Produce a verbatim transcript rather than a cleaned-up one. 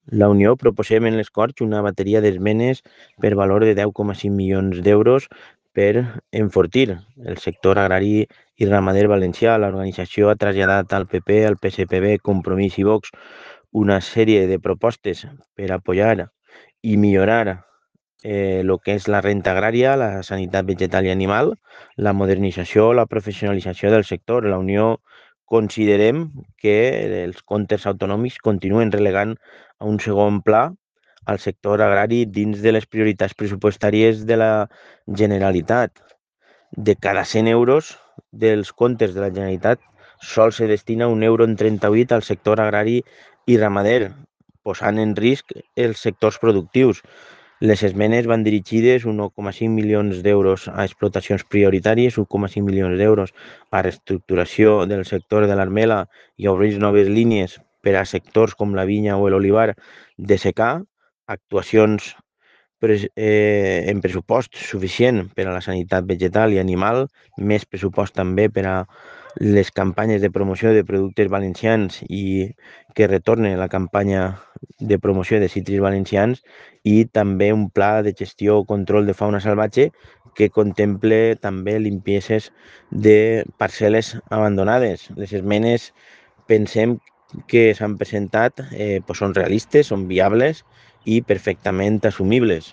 La Unió proposem en les Corts una bateria d'esmenes per valor de deu coma cinc milions d'euros per enfortir el sector agrari i ramader valencià. L'organització ha traslladat al P P, al P S P B, Compromís i Vox una sèrie de propostes per apoyar i millorar eh, lo que és la renta agrària, la sanitat vegetal i animal, la modernització, la professionalització del sector. La Unió considerem que els comptes autonòmics continuen relegant a un segon pla al sector agrari dins de les prioritats pressupostàries de la Generalitat. De cada cent euros dels comptes de la Generalitat sol se destina un euro en trenta-vuit al sector agrari i ramader, posant en risc els sectors productius. Les esmenes van dirigides un un coma cinc milions d'euros a explotacions prioritàries, un coma cinc milions d'euros a reestructuració del sector de l'armela i a obrir noves línies per a sectors com la vinya o l'olivar de secà, actuacions eh, en pressupost suficient per a la sanitat vegetal i animal, més pressupost també per a les campanyes de promoció de productes valencians i que retorne la campanya de promoció de cítrics valencians i també un pla de gestió o control de fauna salvatge que contemple també limpieses de parcel·les abandonades. Les esmenes pensem que s'han presentat eh, pues són realistes, són viables i perfectament assumibles.